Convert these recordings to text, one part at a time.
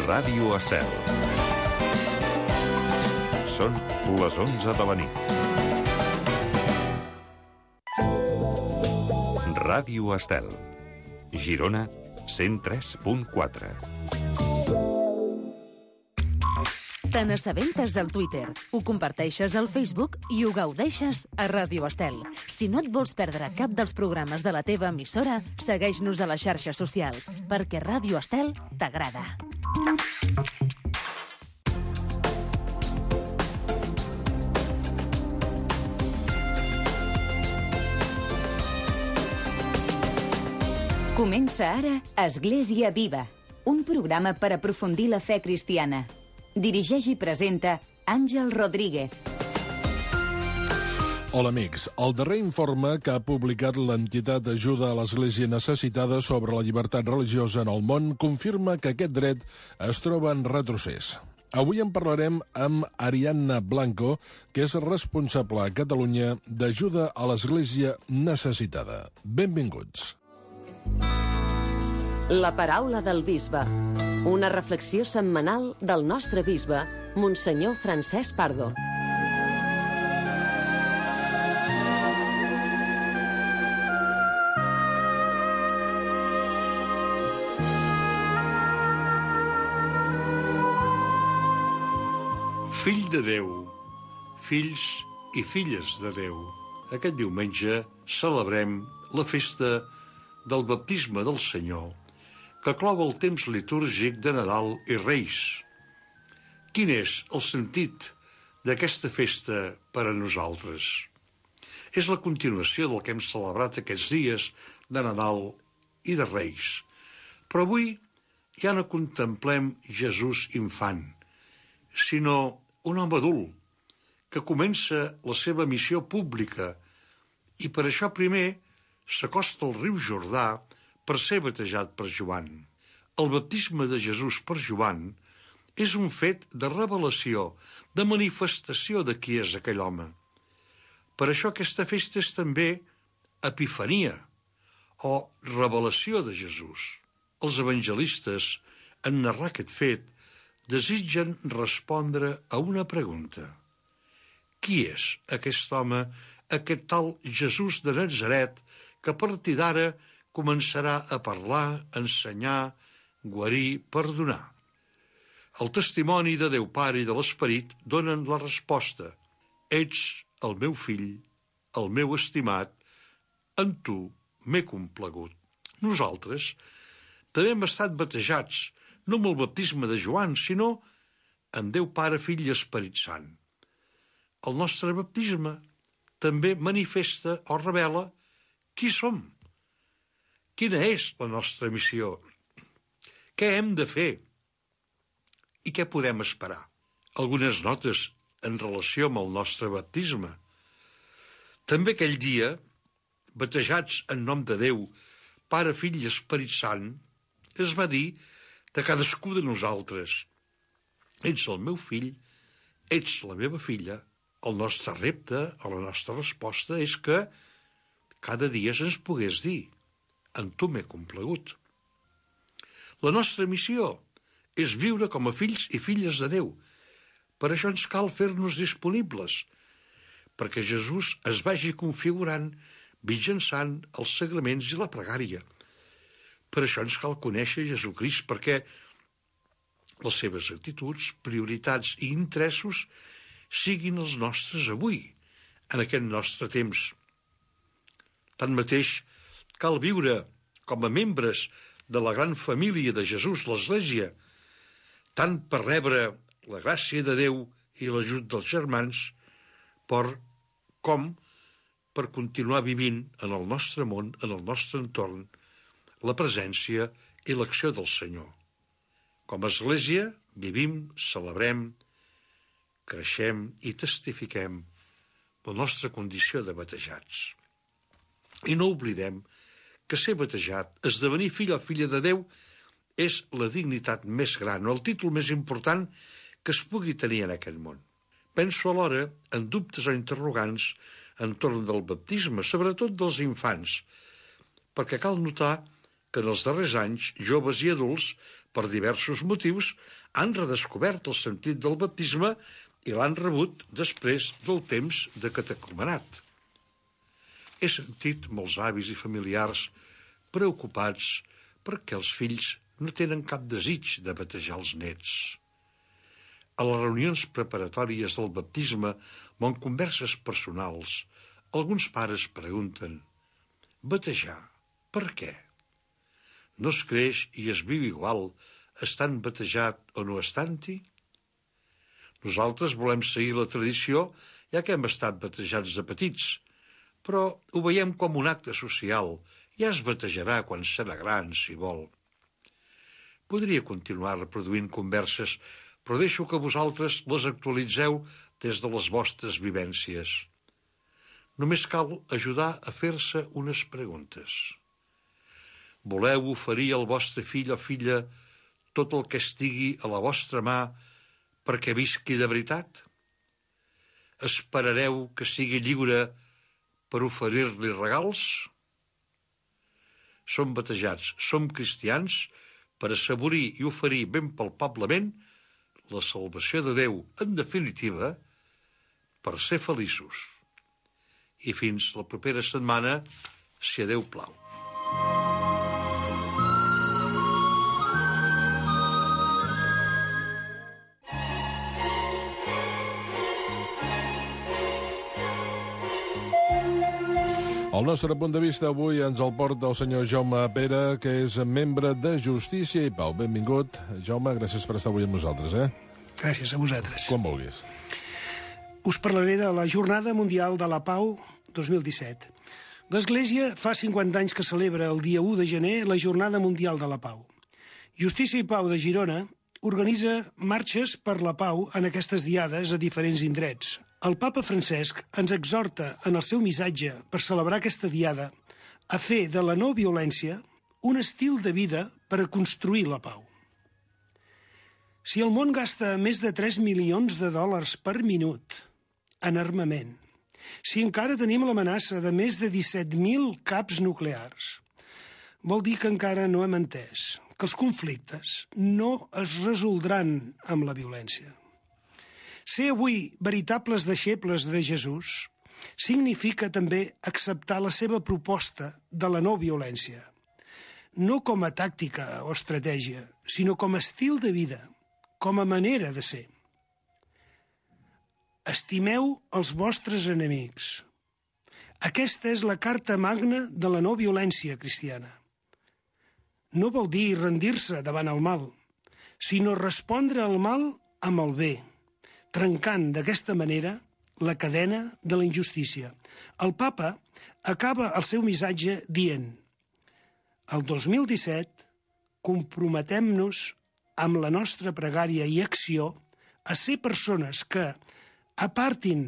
Ràdio Estel. Són les 11 de la nit. Ràdio Estel. Girona, 103.4. Te n'assabentes al Twitter, ho comparteixes al Facebook i ho gaudeixes a Ràdio Estel. Si no et vols perdre cap dels programes de la teva emissora, segueix-nos a les xarxes socials, perquè Ràdio Estel t'agrada. Comença ara Església Viva, un programa per aprofundir la fe cristiana. Dirigeix i presenta Àngel Rodríguez. Hola, amics. El darrer informe que ha publicat l'entitat d'Ajuda a l'Església Necessitada sobre la llibertat religiosa en el món confirma que aquest dret es troba en retrocés. Avui en parlarem amb Ariadna Blanco, que és responsable a Catalunya d'Ajuda a l'Església Necessitada. Benvinguts. La paraula del bisbe. Una reflexió setmanal del nostre bisbe, Monsenyor Francesc Pardo. Fill de Déu, fills i filles de Déu. Aquest diumenge celebrem la festa del baptisme del Senyor, que clou el temps litúrgic de Nadal i Reis. Quin és el sentit d'aquesta festa per a nosaltres? És la continuació del que hem celebrat aquests dies de Nadal i de Reis. Però avui ja no contemplem Jesús infant, sinó un home adult que comença la seva missió pública i per això primer s'acosta al riu Jordà per ser batejat per Joan. El baptisme de Jesús per Joan és un fet de revelació, de manifestació de qui és aquell home. Per això aquesta festa és també epifania, o revelació de Jesús. Els evangelistes, en narrar aquest fet, desitgen respondre a una pregunta. Qui és aquest home, aquest tal Jesús de Natzaret, que a partir d'ara començarà a parlar, ensenyar, guarir, perdonar? El testimoni de Déu Pare i de l'Esperit donen la resposta. Ets el meu fill, el meu estimat, en tu m'he complagut. Nosaltres també hem estat batejats, no amb el baptisme de Joan, sinó en Déu Pare, Fill i Esperit Sant. El nostre baptisme també manifesta o revela qui som. Quina és la nostra missió? Què hem de fer? I què podem esperar? Algunes notes en relació amb el nostre baptisme. També aquell dia, batejats en nom de Déu, Pare, Fill i Esperit Sant, es va dir de cadascú de nosaltres: ets el meu fill, ets la meva filla. El nostre repte, o la nostra resposta, és que cada dia se'ns pogués dir: en tu m'he complagut. La nostra missió és viure com a fills i filles de Déu. Per això ens cal fer-nos disponibles, perquè Jesús es vagi configurant mitjançant els sagraments i la pregària. Per això ens cal conèixer Jesucrist, perquè les seves actituds, prioritats i interessos siguin els nostres avui, en aquest nostre temps. Tanmateix, cal viure com a membres de la gran família de Jesús, l'Església, tant per rebre la gràcia de Déu i l'ajut dels germans, com per continuar vivint en el nostre món, en el nostre entorn, la presència i l'acció del Senyor. Com a Església vivim, celebrem, creixem i testifiquem la nostra condició de batejats. I no oblidem que ser batejat, esdevenir fill o filla de Déu, és la dignitat més gran, o el títol més important que es pugui tenir en aquest món. Penso alhora en dubtes o interrogants entorn del baptisme, sobretot dels infants, perquè cal notar que en els darrers anys, joves i adults, per diversos motius, han redescobert el sentit del baptisme i l'han rebut després del temps de catecumenat. He sentit molts avis i familiars preocupats perquè els fills no tenen cap desig de batejar els nets. A les reunions preparatòries del baptisme o en converses personals, alguns pares pregunten: batejar, per què? No es creix i es viu igual estant batejat o no estant-hi? Nosaltres volem seguir la tradició, ja que hem estat batejats de petits, però ho veiem com un acte social. Ja es batejarà quan serà gran, si vol. Podria continuar reproduint converses, però deixo que vosaltres les actualitzeu des de les vostres vivències. Només cal ajudar a fer-se unes preguntes. Voleu oferir al vostre fill o filla tot el que estigui a la vostra mà perquè visqui de veritat? Esperareu que sigui lliure per oferir-li regals? Som batejats, som cristians, per assaborir i oferir ben palpablement la salvació de Déu, en definitiva, per ser feliços. I fins la propera setmana, si a Déu plau. El nostre punt de vista avui ens el porta el senyor Jaume Pera, que és membre de Justícia i Pau. Benvingut, Jaume, gràcies per estar avui amb nosaltres. Gràcies a vosaltres. Quan vulguis. Us parlaré de la Jornada Mundial de la Pau 2017. L'Església fa 50 anys que celebra el dia 1 de gener la Jornada Mundial de la Pau. Justícia i Pau de Girona organitza marxes per la pau en aquestes diades a diferents indrets. El papa Francesc ens exhorta en el seu missatge per celebrar aquesta diada a fer de la no violència un estil de vida per a construir la pau. Si el món gasta més de 3 milions de dòlars per minut en armament, si encara tenim l'amenaça de més de 17.000 caps nuclears, vol dir que encara no hem entès que els conflictes no es resoldran amb la violència. Ser avui veritables deixebles de Jesús significa també acceptar la seva proposta de la no violència, no com a tàctica o estratègia, sinó com a estil de vida, com a manera de ser. Estimeu els vostres enemics. Aquesta és la carta magna de la no violència cristiana. No vol dir rendir-se davant el mal, sinó respondre al mal amb el bé, trencant d'aquesta manera la cadena de la injustícia. El papa acaba el seu missatge dient: el 2017 comprometem-nos amb la nostra pregària i acció a ser persones que apartin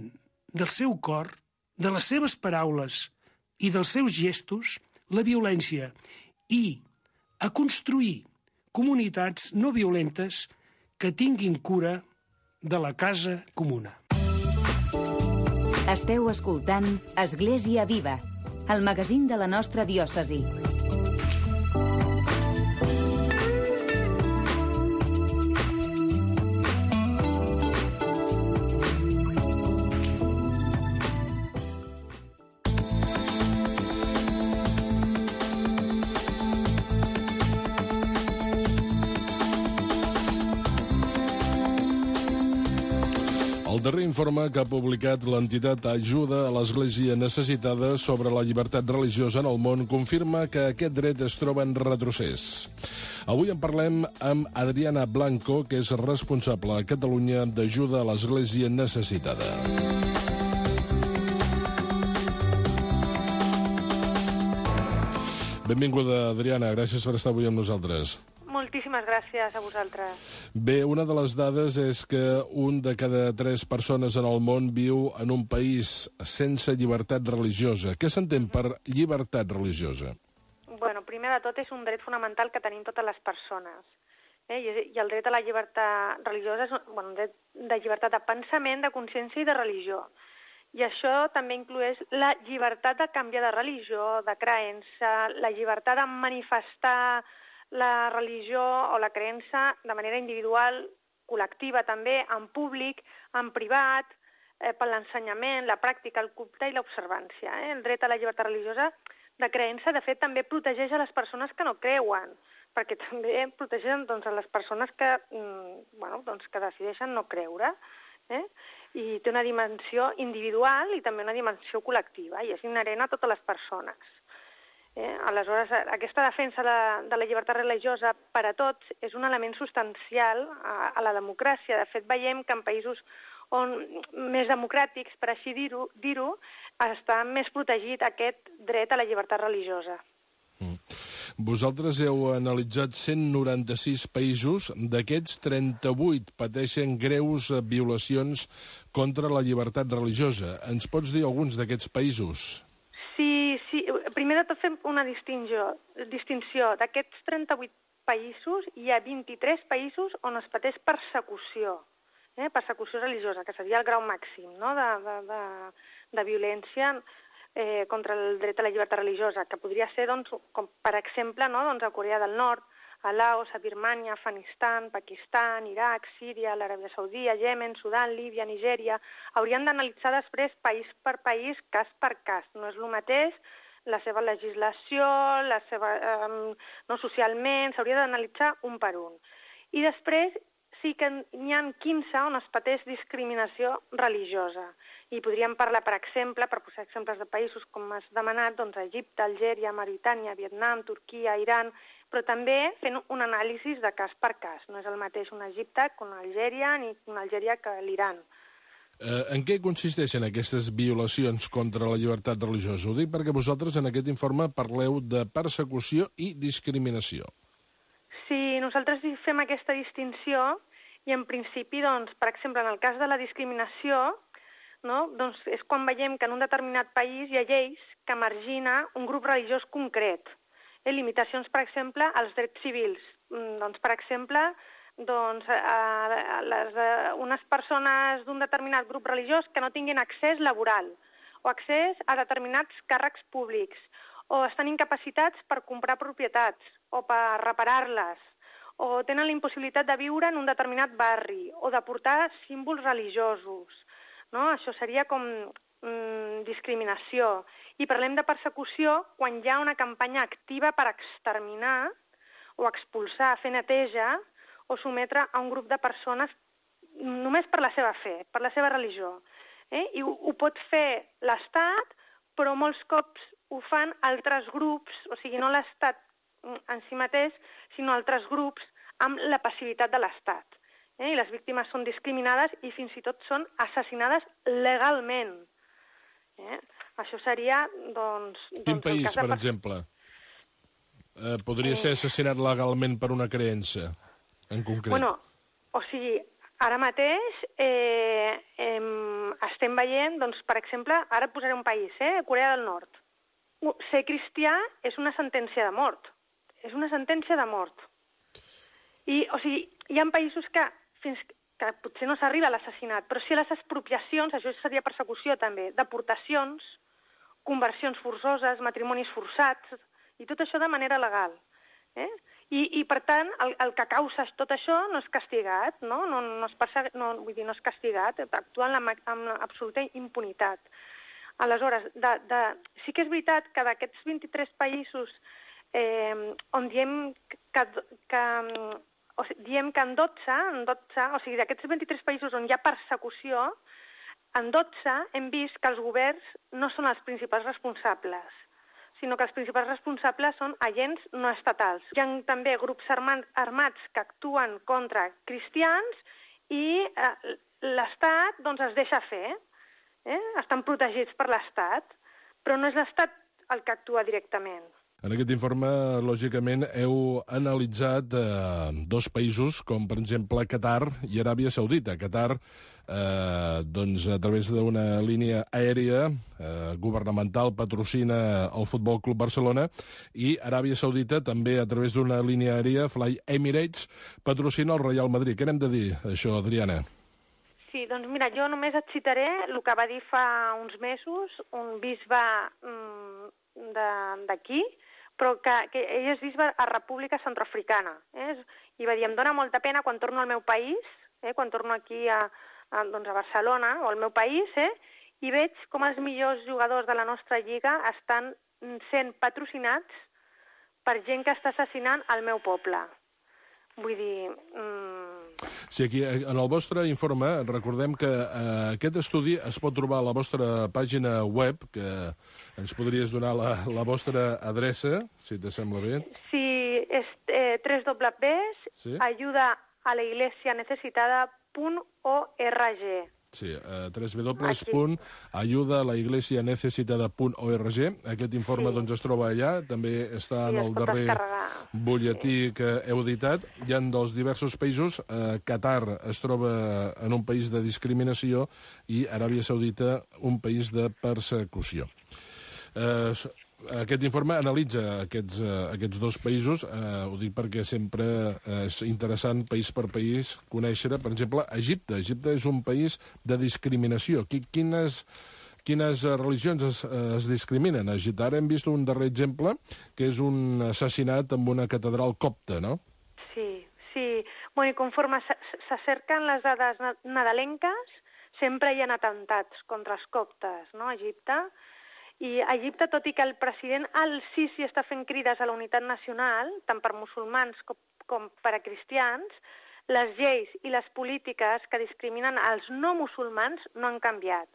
del seu cor, de les seves paraules i dels seus gestos la violència i a construir comunitats no violentes que tinguin cura de la casa comuna. Esteu escoltant Església Viva, el magazín de la nostra diòcesi. El darrer informe que ha publicat l'entitat Ajuda a l'Església Necessitada sobre la llibertat religiosa en el món confirma que aquest dret es troba en retrocés. Avui en parlem amb Adriana Blanco, que és responsable a Catalunya d'Ajuda a l'Església Necessitada. Benvinguda, Adriana. Gràcies per estar avui amb nosaltres. Moltíssimes gràcies a vosaltres. Bé, una de les dades és que un de cada 3 persones en el món viu en un país sense llibertat religiosa. Què s'entén per llibertat religiosa? Bueno, primer de tot és un dret fonamental que tenim totes les persones. I el dret a la llibertat religiosa és un dret de llibertat de pensament, de consciència i de religió. I això també inclueix la llibertat de canviar de religió, de creença, la llibertat de manifestar la religió o la creença de manera individual, col·lectiva també, en públic, en privat, per l'ensenyament, la pràctica, el culte i l'observància. El dret a la llibertat religiosa de creença, de fet, també protegeix a les persones que no creuen, perquè també protegeixen a les persones que decideixen no creure. I té una dimensió individual i també una dimensió col·lectiva, i és inherent a totes les persones. Aleshores, aquesta defensa de la llibertat religiosa per a tots és un element substancial a la democràcia. De fet, veiem que en països més democràtics, per així dir-ho, està més protegit aquest dret a la llibertat religiosa. Vosaltres heu analitzat 196 països, d'aquests 38 pateixen greus violacions contra la llibertat religiosa. Ens pots dir alguns d'aquests països? Sí. Primer de tot fem una distinció. D'aquests 38 països hi ha 23 països on es pateix persecució, persecució religiosa, que seria el grau màxim de violència contra el dret a la llibertat religiosa, que podria ser, com per exemple, a Corea del Nord, a Laos, a Birmània, Afganistan, Pakistan, Iraq, Síria, l'Aràbia Saudita, Iemen, Sudan, Líbia, Nigèria. Haurien d'analitzar després país per país, cas per cas. No és el mateix la seva legislació, socialment, s'hauria d'analitzar un per un. I després sí que n'hi ha 15 on es pateix discriminació religiosa. I podríem parlar, per exemple, per posar exemples de països com has demanat, Egipte, Algèria, Mauritània, Vietnam, Turquia, Iran, però també fent un anàlisi de cas per cas. No és el mateix un Egipte que una Algèria ni una Algèria que l'Iran. En què consisteixen aquestes violacions contra la llibertat religiosa? Ho dic perquè vosaltres en aquest informe parleu de persecució i discriminació. Sí, nosaltres fem aquesta distinció i en principi, per exemple, en el cas de la discriminació, és quan veiem que en un determinat país hi ha lleis que margina un grup religiós concret. Limitacions, per exemple, als drets civils. Per exemple, unes persones d'un determinat grup religiós que no tinguin accés laboral o accés a determinats càrrecs públics o estan incapacitats per comprar propietats o per reparar-les o tenen la impossibilitat de viure en un determinat barri o de portar símbols religiosos. Això seria com discriminació. I parlem de persecució quan hi ha una campanya activa per exterminar o expulsar, fer neteja o sometre a un grup de persones només per la seva fe, per la seva religió. I ho pot fer l'Estat, però molts cops ho fan altres grups, o sigui, no l'Estat en si mateix, sinó altres grups amb la passivitat de l'Estat. I les víctimes són discriminades i fins i tot són assassinades legalment. Això seria, Quin país, per exemple, podria ser assassinat legalment per una creença, en concret? O sigui, ara mateix estem veient, per exemple, ara posaré un país, Corea del Nord. Ser cristià és una sentència de mort. És una sentència de mort. I, o sigui, hi ha països que potser no s'arriba a l'assassinat, però sí a les expropiacions, això seria persecució també, deportacions, conversions forçoses, matrimonis forçats, i tot això de manera legal. I per tant, el que causa tot això no és castigat, no és castigat, actua amb absoluta impunitat. Aleshores, sí que és veritat que d'aquests 23 països on diem que en 12, o sigui, d'aquests 23 països on hi ha persecució, en 12 hem vist que els governs no són els principals responsables, sinó que els principals responsables són agents no estatals. Hi ha també grups armats que actuen contra cristians i l'Estat es deixa fer. Estan protegits per l'Estat, però no és l'Estat el que actua directament. En aquest informe, lògicament, heu analitzat dos països, com per exemple Qatar i Aràbia Saudita. Qatar, a través d'una línia aèria governamental, patrocina el Futbol Club Barcelona, i Aràbia Saudita, també a través d'una línia aèria, Fly Emirates, patrocina el Real Madrid. Què n'hem de dir, això, Adriana? Sí, doncs mira, jo només et citaré el que va dir fa uns mesos un bisbe d'aquí, però que ell és bisbe a República Centroafricana. I va dir, em dóna molta pena quan torno al meu país, quan torno aquí a Barcelona o al meu país, i veig com els millors jugadors de la nostra lliga estan sent patrocinats per gent que està assassinant el meu poble. Vull dir... Sí, aquí, en el vostre informe, recordem que aquest estudi es pot trobar a la vostra pàgina web, que ens podries donar la vostra adreça, si te sembla bé. Sí, és www.ayudaalaiglesianecesitada.org. Sí, www.ayudaalaiglesianecesitada.org. Aquest informe doncs, es troba allà, també està en el darrer butlletí que heu editat. Hi ha dels diversos països. Qatar es troba en un país de discriminació i Aràbia Saudita un país de persecució. Aquest informe analitza aquests dos països, ho dic perquè sempre és interessant, país per país, conèixer, per exemple, Egipte. Egipte és un país de discriminació. Quines religions es discriminen a Egipte? Ara hem vist un darrer exemple, que és un assassinat en una catedral copta, no? Sí. Bueno, i conforme s'acerquen les dades nadalenques, sempre hi ha atemptats contra els coptes, no?, a Egipte. I a Egipte, tot i que el president al-Sisi està fent crides a la unitat nacional, tant per musulmans com per a cristians, les lleis i les polítiques que discriminen els no musulmans no han canviat.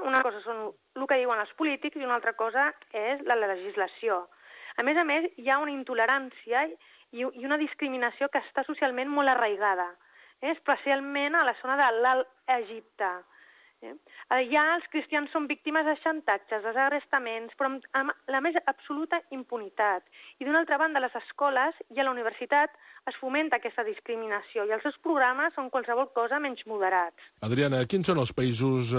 Una cosa són el que diuen els polítics i una altra cosa és la legislació. A més, hi ha una intolerància i una discriminació que està socialment molt arraigada, especialment a la zona de l'Alt Egipte. Allà els cristians són víctimes de xantatges, desagrestaments, però amb la més absoluta impunitat. I d'una altra banda, a les escoles i a la universitat es fomenta aquesta discriminació i els seus programes són qualsevol cosa menys moderats. Adriana, quins són els països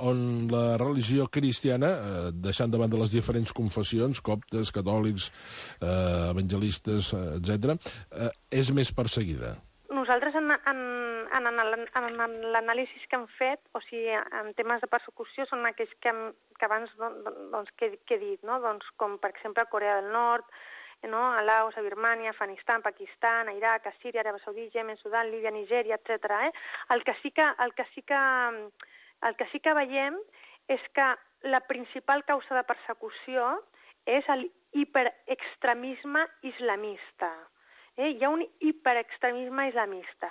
on la religió cristiana, deixant de banda les diferents confessions, coptes, catòlics, evangelistes, etc., és més perseguida? Nosaltres, en l'anàlisi que hem fet, o sigui, en temes de persecució, són aquells que abans que he dit, no? Doncs, com per exemple Corea del Nord, no? A Laos, a Birmània, Afganistan, Pakistan, a Iraq, a Síria, Aràbia Saudita, Yemen, Sudan, Líbia, Nigèria, etc. El que sí que veiem és que la principal causa de persecució és l'hiperextremisme islamista. Hi ha un hiperextremisme islamista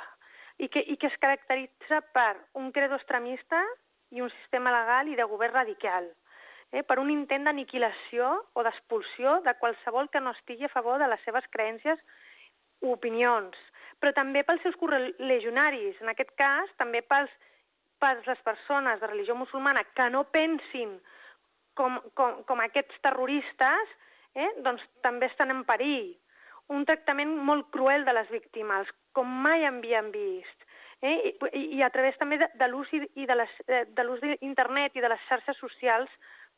i que es caracteritza per un credo extremista i un sistema legal i de govern radical, per un intent d'aniquilació o d'expulsió de qualsevol que no estigui a favor de les seves creences o opinions, però també pels seus correligionaris, en aquest cas també per les persones de religió musulmana que no pensin com aquests terroristes, doncs també estan en perill. Un tractament molt cruel de les víctimes, com mai havien vist. I a través també de l'ús d'internet i de les xarxes socials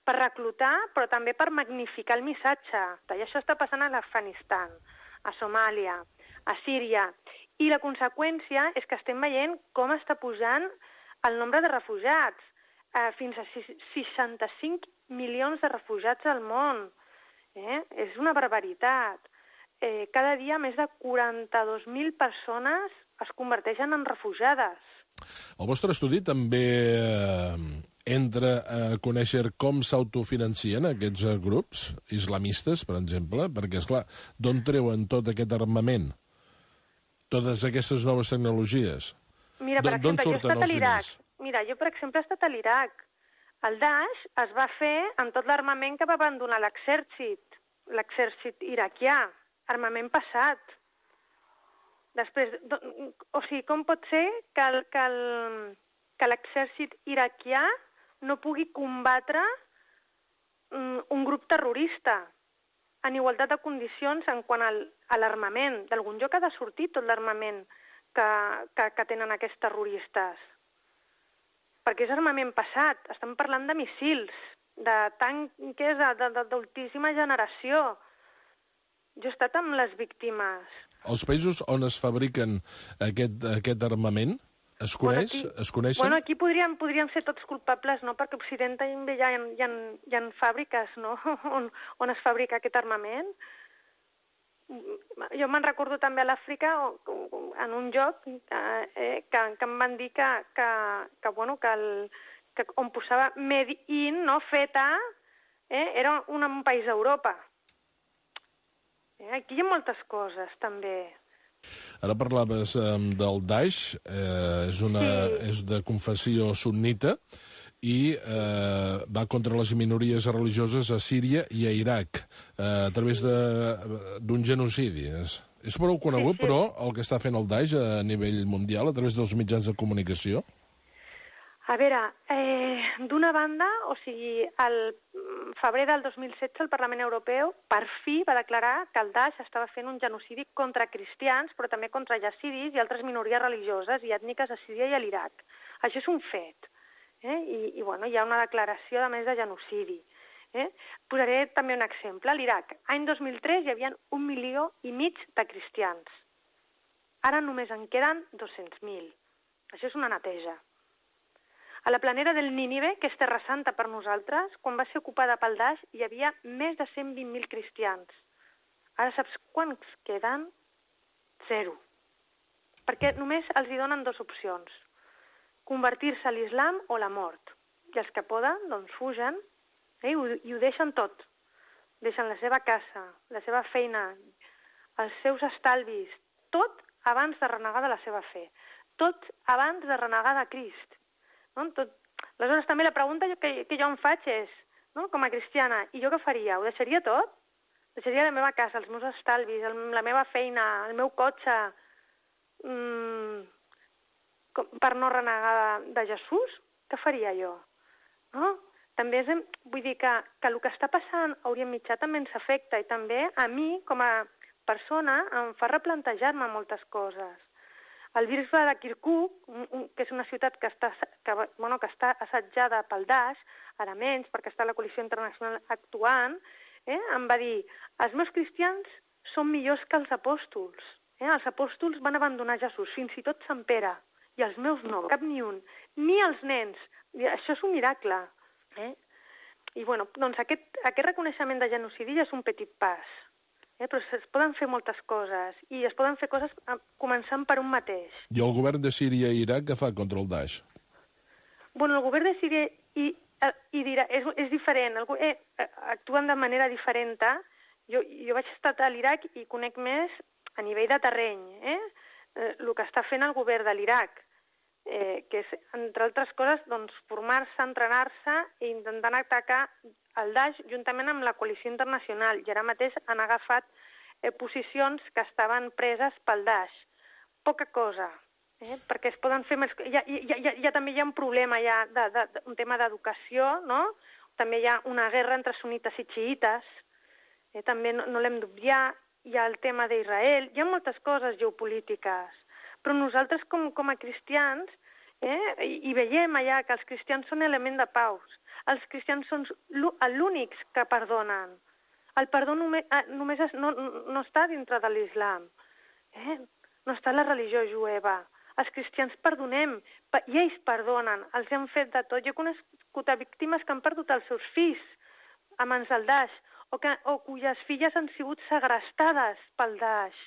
per reclutar, però també per magnificar el missatge. I això està passant a l'Afganistan, a Somàlia, a Síria. I la conseqüència és que estem veient com està pujant el nombre de refugiats. Fins a 65 milions de refugiats al món. És una barbaritat. Cada dia més de 42.000 persones es converteixen en refugiades. El vostre estudi també entra a conèixer com s'autofinancien aquests grups islamistes, per exemple, perquè, esclar, d'on treuen tot aquest armament? Totes aquestes noves tecnologies? Mira, per exemple, jo he estat a l'Iraq. Jo, per exemple, he estat a l'Iraq. El Daesh es va fer amb tot l'armament que va abandonar l'exèrcit iraquià. Armament passat. Després, o sigui, com pot ser que l'exèrcit iraquià no pugui combatre un grup terrorista en igualtat de condicions en quant a l'armament? D'algun lloc ha de sortir tot l'armament que tenen aquests terroristes. Perquè és armament passat. Estem parlant de missils, de tanques d'altíssima generació. Jo he estat amb les víctimes. Els països on es fabriquen aquest armament Es coneixen? Bueno, aquí podríem ser tots culpables, no?, perquè a Occident també hi ha fàbriques, no?, on es fabrica aquest armament. Jo me'n recordo també a l'Àfrica, en un lloc, que em van dir que on posava made in, no, feta, era un país d'Europa. Aquí hi ha moltes coses, també. Ara parlaves del Daesh, és de confessió sunnita i va contra les minories religioses a Síria i a Iraq a través d'un genocidi. És prou conegut, però, el que està fent el Daesh a nivell mundial a través dels mitjans de comunicació? A veure, d'una banda, o sigui, al febrer del 2016 el Parlament Europeu per fi va declarar que el Daesh estava fent un genocidi contra cristians, però també contra yazidis i altres minories religioses i ètniques a Síria i a l'Iraq. Això és un fet. I bueno, hi ha una declaració, a més, de genocidi. Posaré també un exemple. A l'Iraq, any 2003, hi havia 1,5 milió de cristians. Ara només en queden 200.000. Això és una neteja. A la planera del Nínive, que és Terra Santa per nosaltres, quan va ser ocupada pel Daesh, hi havia més de 120.000 cristians. Ara saps quants queden? 0. Perquè només els hi donen 2 opcions. Convertir-se a l'islam o la mort. I els que poden, doncs fugen i ho deixen tot. Deixen la seva casa, la seva feina, els seus estalvis, tot abans de renegar de la seva fe. Tot abans de renegar de Crist. No? Aleshores, també la pregunta que jo em faig és, no? Com a cristiana, i jo què faria? Ho deixaria tot? Deixaria la meva casa, els meus estalvis, la meva feina, el meu cotxe, per no renegar de Jesús? Què faria jo? No? També vull dir que el que està passant a Orient Mitjà també ens afecta i també a mi, com a persona, em fa replantejar-me moltes coses. El bisbe de Kirkuk, que és una ciutat que està assetjada pel Daesh, ara menys, perquè està la coalició internacional actuant, em va dir, els meus cristians són millors que els apòstols. Els apòstols van abandonar Jesús, fins i tot Sant Pere, i els meus no, cap ni un, ni els nens. Això és un miracle. I bueno, doncs aquest reconeixement de genocidi ja és un petit pas. Però es poden fer moltes coses, i es poden fer coses començant per un mateix. I el govern de Síria i Iraq què fa contra el Daesh? Bueno, el govern de Síria i d'Iraq és diferent, actuen de manera diferent. Jo vaig estar a l'Iraq i conec més a nivell de terreny, el que està fent el govern de l'Iraq, que és, entre altres coses, doncs, formar-se, entrenar-se i intentant atacar el Daesh juntament amb la coalició internacional, i ara mateix han agafat posicions que estaven preses pel Daesh. Poca cosa, perquè es poden fer més... També hi ha un problema, un tema d'educació, no? També hi ha una guerra entre sunites i xiites, també no l'hem d'obviar, hi ha el tema d'Israel, hi ha moltes coses geopolítiques, però nosaltres com a cristians i veiem allà que els cristians són element de pau. Els cristians són l'únics que perdonen. El perdó només no està dintre de l'islam. No està a la religió jueva. Els cristians perdonem, i ells perdonen, els hem fet de tot. Jo he conegut víctimes que han perdut els seus fills a mans del Daesh, o cuyes filles han sigut segrestades pel Daesh,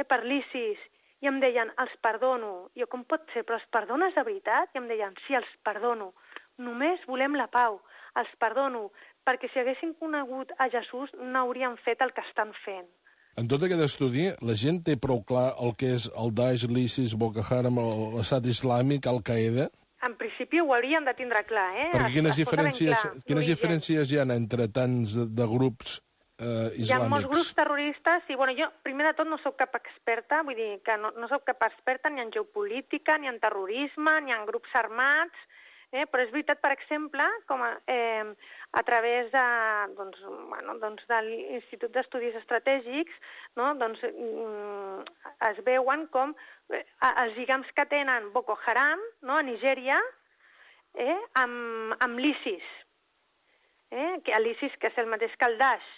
per l'ISIS, i em deien, els perdono. Jo, com pot ser? Però els perdones de veritat? I em deien, sí, els perdono. Només volem la pau, els perdono, perquè si haguessin conegut a Jesús no haurien fet el que estan fent. En tot aquest estudi, la gent té prou clar el que és el Daesh, l'ISIS, Boko Haram, l'Estat Islàmic, Al-Qaeda? En principi ho haurien de tindre clar, Perquè quines diferències hi ha entre tants de grups islàmics? Hi ha molts grups terroristes i, bueno, jo, primer de tot, no sóc cap experta, vull dir que no sóc cap experta ni en geopolítica, ni en terrorisme, ni en grups armats, però és veritat, per exemple, com a través de l'Institut d'Estudis Estratègics, no? Es veuen com els lligams que tenen Boko Haram, no? A Nigèria, amb l'ISIS, l'ISIS que és el mateix que el Daesh,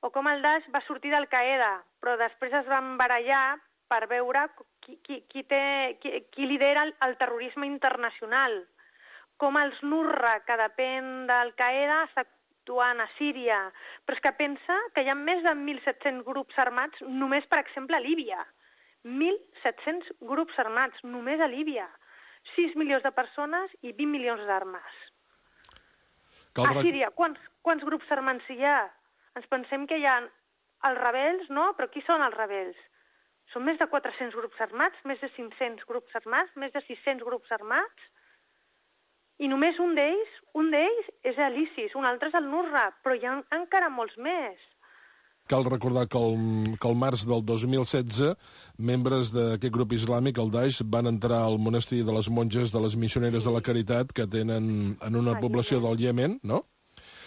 o com el Daesh va sortir d'Al-Qaeda, però després es van barallar per veure qui lidera el terrorisme internacional, com els Nusra, que depèn d'Al-Qaeda, està actuant a Síria, però és que pensa que hi ha més de 1.700 grups armats només, per exemple, a Líbia. 1.700 grups armats només a Líbia. 6 milions de persones i 20 milions d'armes. A Síria, quants grups armats hi ha? Ens pensem que hi ha els rebels, no? Però qui són els rebels? Són més de 400 grups armats, més de 500 grups armats, més de 600 grups armats, i només un d'ells és l'ISIS, un altre és el Nusra, però hi ha encara molts més. Cal recordar que el març del 2016, membres d'aquest grup islàmic, el Daesh, van entrar al monestir de les monges de les missioneres de la Caritat, que tenen en una població del Iemen, no?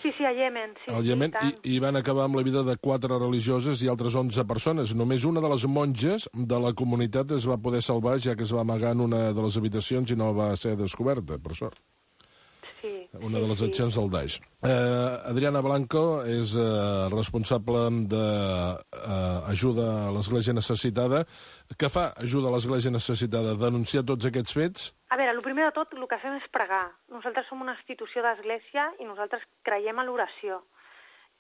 Sí, a Iemen. Sí, al Iemen, i van acabar amb la vida de 4 religioses i altres 11 persones. Només una de les monges de la comunitat es va poder salvar, ja que es va amagar en una de les habitacions i no va ser descoberta, per sort. Una de les accions del Daesh. Adriana Blanco és responsable d'ajuda a l'Església Necessitada. Què fa Ajuda a l'Església Necessitada? Denunciar tots aquests fets? A veure, el primer de tot, el que fem és pregar. Nosaltres som una institució d'església i nosaltres creiem a l'oració.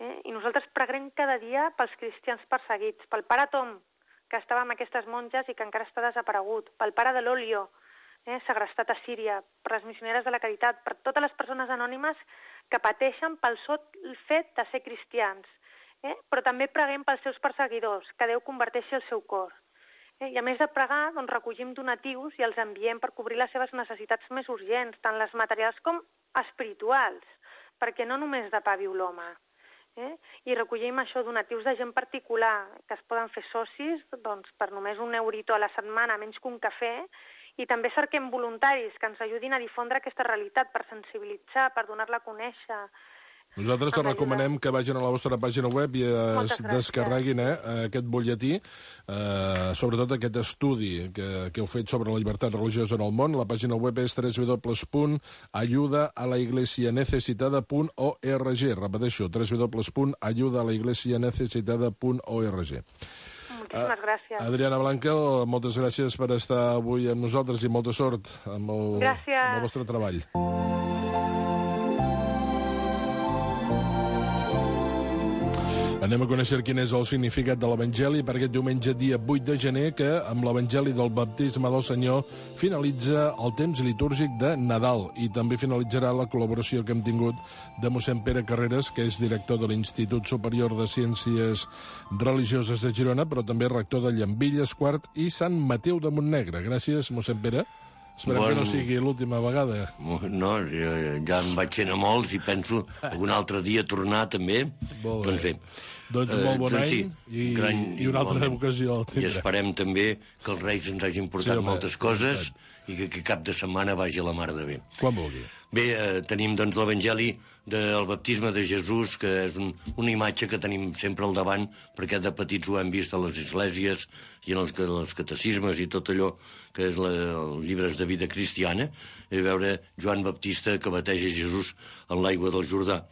I nosaltres preguem cada dia pels cristians perseguits, pel pare Tom, que estava amb aquestes monges i que encara està desaparegut, pel pare de l'Olio, segrestat a Síria, per les missioneres de la Caritat, per totes les persones anònimes que pateixen pel sol fet de ser cristians. Però també preguem pels seus perseguidors, que Déu converteixi el seu cor. I a més de pregar, doncs, recollim donatius i els enviem per cobrir les seves necessitats més urgents, tant les materials com espirituals, perquè no només de pa viu l'home. I recollim això, donatius de gent particular, que es poden fer socis doncs, per només €1 a la setmana, menys que un cafè, i també cerquem voluntaris que ens ajudin a difondre aquesta realitat, per sensibilitzar, per donar-la a conèixer. Nosaltres te recomanem que vagin a la vostra pàgina web i es descarreguin aquest butlletí, sobretot aquest estudi que heu fet sobre la llibertat religiosa en el món. La pàgina web és www.ayudaalaIglesianecesitada.org. Repeteixo, www.ayudaalaIglesianecesitada.org. Moltíssimes gràcies. Adriana Blanco, moltes gràcies per estar avui amb nosaltres i molta sort amb el vostre treball. Anem a conèixer quin és el significat de l'Evangeli per aquest diumenge, dia 8 de gener, que amb l'Evangeli del Baptisme del Senyor finalitza el temps litúrgic de Nadal i també finalitzarà la col·laboració que hem tingut de mossèn Pere Carreras, que és director de l'Institut Superior de Ciències Religioses de Girona, però també rector de Llambilles, Quart i Sant Mateu de Montnegre. Gràcies, mossèn Pere. Esperem que no sigui l'última vegada. No, ja em vaig anar molts i penso un altre dia tornar també. Doncs bé. Doncs molt bon any i una altra ocasió. I esperem també que els Reis ens hagin portat moltes coses i que cap de setmana vagi a la mar de bé. Quan vulgui. Bé, tenim doncs l'Evangeli del baptisme de Jesús, que és una imatge que tenim sempre al davant, perquè de petits ho hem vist a les esglésies i en els catecismes i tot allò que és els llibres de vida cristiana, i veure Joan Baptista que bateja Jesús en l'aigua del Jordà.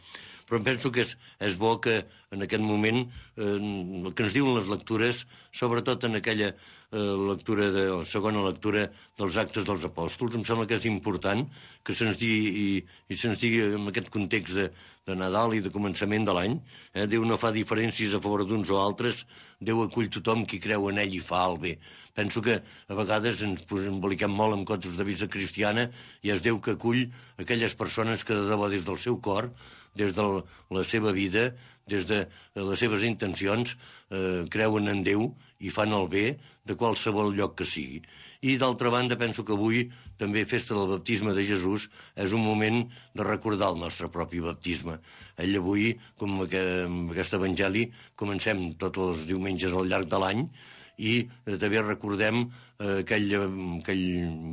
Però em penso que és bo que en aquest moment el que ens diuen les lectures, sobretot en aquella la segona lectura dels Actes dels Apòstols, em sembla que és important que se'ns digui, i se'ns digui en aquest context de Nadal i de començament de l'any, Déu no fa diferències a favor d'uns o altres, Déu acull tothom qui creu en ell i fa el bé. Penso que a vegades ens emboliquem molt amb contes de vida cristiana i és Déu que acull aquelles persones que de debò des del seu cor, des de la seva vida, des de les seves intencions, creuen en Déu i fan el bé de qualsevol lloc que sigui. I d'altra banda penso que avui, també festa del baptisme de Jesús, és un moment de recordar el nostre propi baptisme. Ell avui, com amb aquest evangeli, comencem tots els diumenges al llarg de l'any i també recordem aquell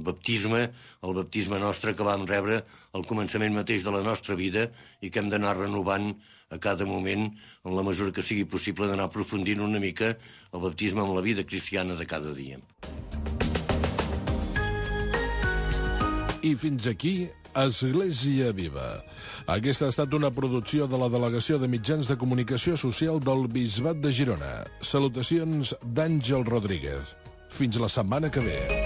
baptisme, el baptisme nostre que vam rebre al començament mateix de la nostra vida i que hem d'anar renovant a cada moment, en la mesura que sigui possible, d'anar aprofundint una mica el baptisme amb la vida cristiana de cada dia. I fins aquí Església Viva. Aquesta ha estat una producció de la Delegació de Mitjans de Comunicació Social del Bisbat de Girona. Salutacions d'Àngel Rodríguez. Fins la setmana que ve.